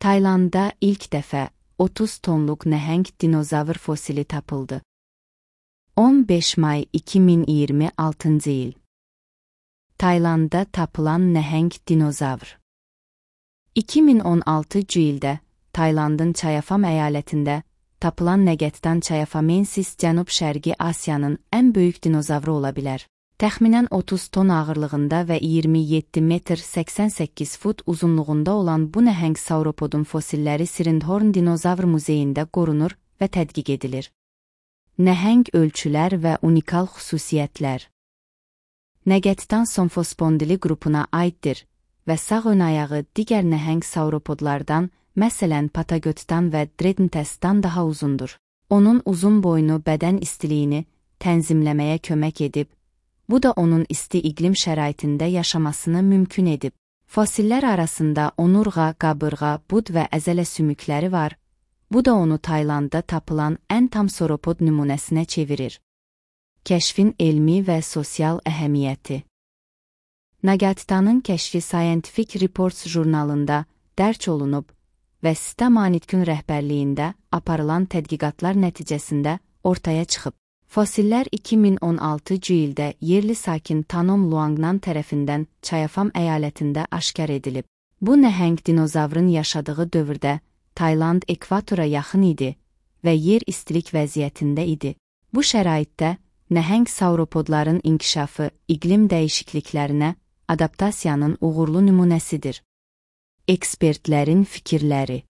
Taylandda ilk dəfə 30 tonluq nəhəng dinozavr fosili tapıldı. 15 may 2026 il. Taylandda tapılan nəhəng dinozavr. 2016 ildə Taylandın Chayafam əyalətində tapılan Nagatan chayafamensis Cənub-Şərqi Asiyanın ən böyük dinozavru ola bilər. Təxminən 30 ton ağırlığında və 27 metr 88 fut uzunluğunda olan bu nəhəng sauropodun fosilləri Sirindhorn Dinozavr Muzeyində qorunur və tədqiq edilir. Nəhəng ölçülər və unikal xüsusiyyətlər. Nagatan somfospondili qrupuna aiddir və sağ ön ayağı digər nəhəng sauropodlardan, məsələn Patagotdan və Dreadnoughtusdan daha uzundur. Onun uzun boynu bədən istiliyini tənzimləməyə kömək edib, bu da onun isti iqlim şəraitində yaşamasını mümkün edib. Fosillər arasında onurğa, qabırğa, bud və əzələ sümükləri var. Bu da onu Taylandda tapılan ən tam sauropod nümunəsinə çevirir. Kəşfin elmi və sosial əhəmiyyəti. Nagatanın kəşfi Scientific Reports jurnalında dərc olunub və Sita Manitkun rəhbərliyində aparılan tədqiqatlar nəticəsində ortaya çıxıb. Fosillər 2016 ildə yerli sakin Tanom Luangnan tərəfindən Chayafam əyalətində aşkar edilib. Bu nəhəng dinozavrın yaşadığı dövrdə Tayland ekvatora yaxın idi və yer istilik vəziyyətində idi. Bu şəraitdə nəhəng sauropodların inkişafı iqlim dəyişikliklərinə adaptasiyanın uğurlu nümunəsidir. Ekspertlərin fikirləri.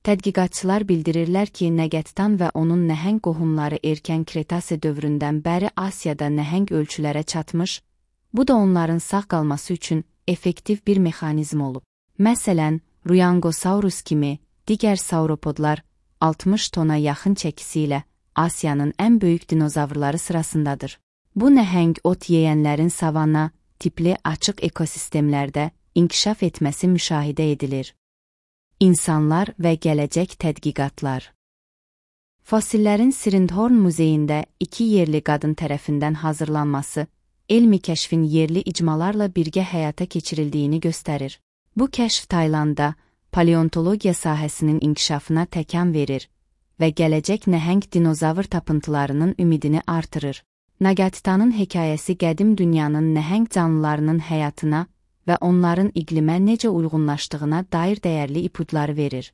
Tədqiqatçılar bildirirlər ki, Nagatan və onun nəhəng qohumları erkən Kretase dövründən bəri Asiyada nəhəng ölçülərə çatmış, bu da onların sağ qalması üçün effektiv bir mexanizm olub. Məsələn, Ruyangosaurus kimi digər sauropodlar 60 tona yaxın çəkisi ilə Asiyanın ən böyük dinozavrları sırasındadır. Bu nəhəng ot yeyənlərin savanna tipli açıq ekosistemlərdə inkişaf etməsi müşahidə edilir. İnsanlar və gələcək tədqiqatlar. Fosillərin Sirindhorn Muzeyində 2 yerli qadın tərəfindən hazırlanması, elmi kəşfin yerli icmalarla birgə həyata keçirildiyini göstərir. Bu kəşf Taylandda paleontologiya sahəsinin inkişafına təkan verir və gələcək nəhəng dinozavr tapıntılarının ümidini artırır. Nagatanın hekayəsi qədim dünyanın nəhəng canlılarının həyatına və onların iqlimə necə uyğunlaşdığına dair dəyərli ipuçları verir.